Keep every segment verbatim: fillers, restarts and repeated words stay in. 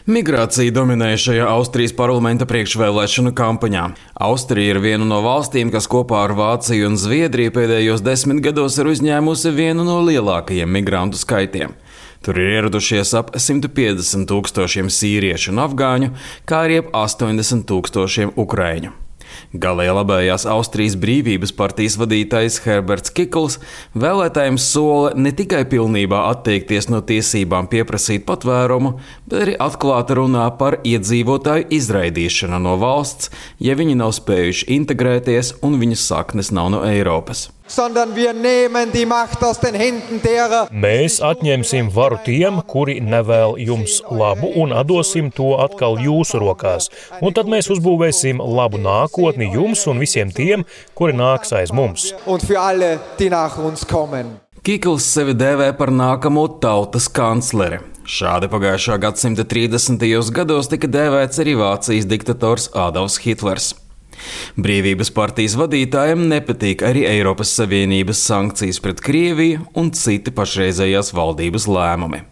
Migrācija dominēja šajā Austrijas parlamenta priekšvēlēšanu kampaņā. Austrija ir viena no valstīm, kas kopā ar Vāciju un Zviedriju pēdējos desmit gados ir uzņēmusi vienu no lielākajiem migrantu skaitiem. Tur ir ieradušies ap simt piecdesmit tūkstošiem sīriešu un afgāņu, kā arī ap astoņdesmit tūkstošiem ukraiņu. Galēji labējās Austrijas brīvības partijas vadītājs Herberts Kikls vēlētājiem sola ne tikai pilnībā atteikties no tiesībām pieprasīt patvērumu, bet arī atklāti runā par iedzīvotāju izraidīšanu no valsts, ja viņi nav spējuši integrēties un viņu saknes nav no Eiropas. Mēs atņemsim varu tiem, kuri nevēl jums labu, un atdosim to atkal jūsu rokās. Un tad mēs uzbūvēsim labu nākotni jums un visiem tiem, kuri nāks aiz mums. Kikls sevi dēvē par nākamo tautas kancleri. Šādi pagājušā gadsimta trīsdesmitajos gados tika dēvēts arī Vācijas diktators Adolfs Hitlers. Brīvības partijas vadītājiem nepatīk arī Eiropas Savienības sankcijas pret Krieviju un citi pašreizējās valdības lēmumi.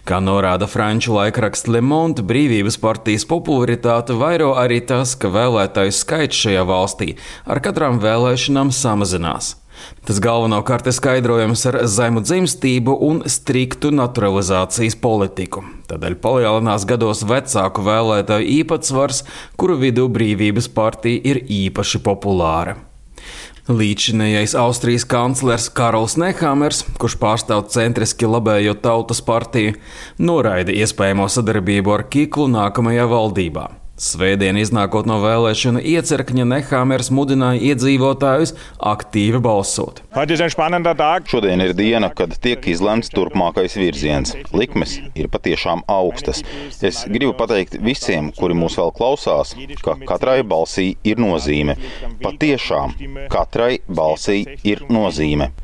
Kā norāda franču laikraksts Le Monde, Brīvības partijas popularitāte vairo arī tas, ka vēlētāju skaits šajā valstī ar katrām vēlēšanām samazinās. Tas galvenokārt ir skaidrojams ar zemu dzimstību un striktu naturalizācijas politiku. Tādēļ palielinās gados vecāku vēlētāju īpatsvars, kuru vidū Brīvības partija ir īpaši populāra. Līdzinējais Austrijas kanclers Karls Nehamers, kurš pārstāv centriski labējo tautas partiju, noraida iespējamo sadarbību ar Kiklu nākamajā valdībā. Svētdien iznākot no vēlēšanu iecirkņa, Nehamers mudināja iedzīvotājus aktīvi balsot. Šodien ir diena, kad tiek izlemts turpmākais virziens. Likmes ir patiešām augstas. Es gribu pateikt visiem, kuri mūs vēl klausās, ka katrai balsī ir nozīme. Patiešām katrai balsī ir nozīme.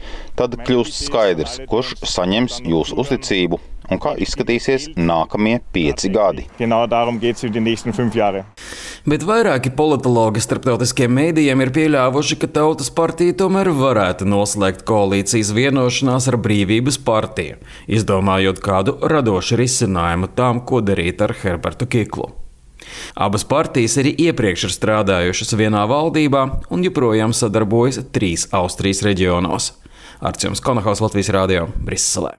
Tad kļūst skaidrs, kurš saņems jūsu uzticību un kā izskatīsies nākamie pieci gadi. Bet vairāki politologi starptautiskiem mēdījiem ir pieļāvuši, ka Tautas partija tomēr varētu noslēgt koalīcijas vienošanās ar Brīvības partiju, izdomājot kādu radošu risinājumu tām, ko darīt ar Herbertu Kiklu. Abas partijas arī iepriekš ir strādājušas vienā valdībā un joprojām sadarbojas trīs Austrijas reģionos. Arts Konahaus, Latvijas radio, Briselē.